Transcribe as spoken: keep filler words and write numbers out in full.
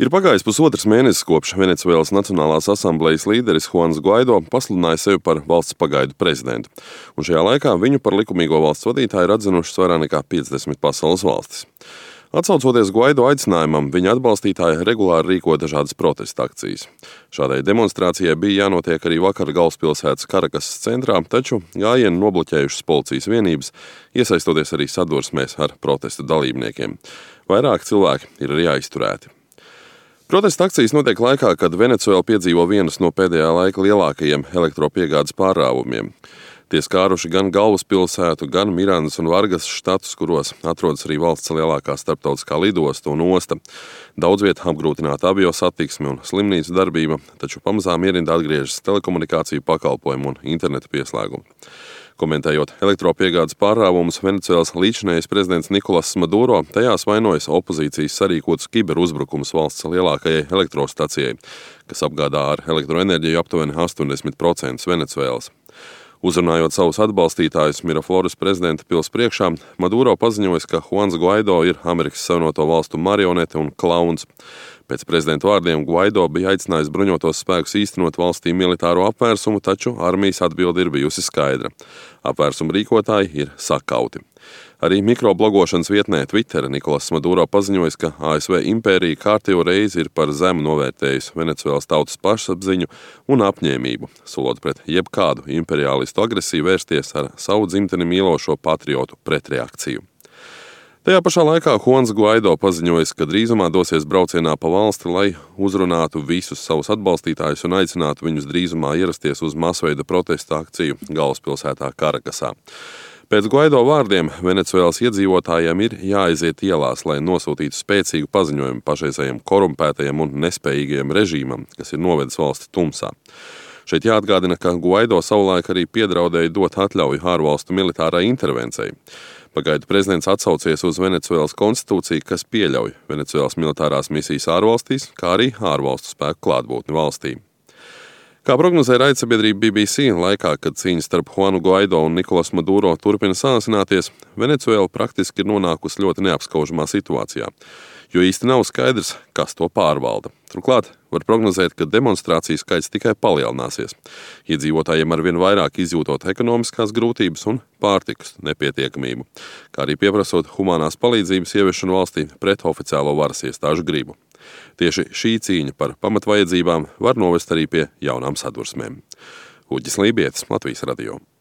Ir pagājis pusotrs mēnesis, kopš Venecuēlas Nacionālās asamblejas līderis Juans Guaido pasludināja sevi par valsts pagaidu prezidentu, un šajā laikā viņu par likumīgo valsts vadītāju ir atzinušas vairāk nekā piecdesmit pasaules valstis. Atsaucoties Guaido aicinājumam, viņa atbalstītāji regulāri rīko dažādas protesta akcijas. Šādai demonstrācijai bija jānotiek arī vakar galvaspilsētas Karakasas centrā, taču gājienu nobloķējušas policijas vienības, iesaistoties arī sadursmēs ar protestu dalībniekiem. Vairāk cilvēki ir arī aizturēti. Protesta akcijas notiek laikā, kad Venecuēla piedzīvo vienus no pēdējā laika lielākajiem elektropiegādes pārāvumiem. Tie skāruši gan galvaspilsētu, gan Mirandas un Vargas štatus, kuros atrodas arī valsts lielākā starptautiskā lidosta un osta. Daudz viet apgrūtināta avio satiksme un slimnīcu darbība, taču pamazām ierindā atgriežas telekomunikāciju pakalpojumu un interneta pieslēgumu. Komentējot elektropiegādes pārāvumus, Venecuēlas līdzinējais prezidents Nikolas Maduro tajās vainojas opozīcijas sarīkotus kiberuzbrukumus valsts lielākajai elektrostacijai, kas apgādā ar elektroenerģiju aptuveni astoņdesmit procenti Venecuēlas. Uzrunājot savus atbalstītājus Mirafloras prezidenta pils priekšā, Maduro paziņoja, ka Juans Guaido ir Amerikas Savienoto Valstu marionete un klauns. Pēc prezidenta vārdiem Guaido bija aicinājis bruņotos spēkus īstenot valstī militāro apvērsumu, taču armijas atbilde ir bijusi skaidra. Apvērsuma rīkotāji ir sakauti. Arī mikroblogošanas vietnē Twitter Nikolas Maduro paziņoja, ka A S V impērija kārtējo reizi ir par zemu novērtējusi Venecuēlas tautas pašapziņu un apņēmību, solot pret jebkādu imperialistu agresiju vērsties ar savu dzimteni mīlošo patriotu pretreakciju. Tajā pašā laikā Juans Guaido paziņoja, ka drīzumā dosies braucienā pa valsti, lai uzrunātu visus savus atbalstītājus un aicinātu viņus drīzumā ierasties uz masveida protesta akciju galvaspilsētā Karakasā. Pēc Guaido vārdiem Venecuēlas iedzīvotājiem ir jāaiziet ielās, lai nosūtītu spēcīgu paziņojumu pašreizējiem korumpētajiem un nespējīgajiem režīmam, kas ir novedis valsti tumsā. Šeit jāatgādina, ka Guaido savulaik arī piedraudēja dot atļauju ārvalstu militārai intervencijai. Pagaidu prezidents atsaucies uz Venecuēlas konstitūciju, kas pieļauj Venecuēlas militārās misijas ārvalstīs, kā arī ārvalstu spēku klātbūtni valstī. Kā prognozē raidsabiedrība B B C, laikā, kad cīņa starp Juanu Guaido un Nikolas Maduro turpina sāsināties, Venecuēla praktiski ir nonākusi ļoti neapskaužamā situācijā, jo īsti nav skaidrs, kas to pārvalda. Turklāt var prognozēt, ka demonstrāciju skaits tikai palielināsies. Iedzīvotājiem arvien vairāk izjūtot ekonomiskās grūtības un pārtikas nepietiekamību, kā arī pieprasot humanās palīdzības ieviešanu valstī pret oficiālo varas iestāžu gribu. Tieši šī cīņa par pamatvajadzībām var novest arī pie jaunām sadursmēm. Uģis Lībietis, Latvijas radio.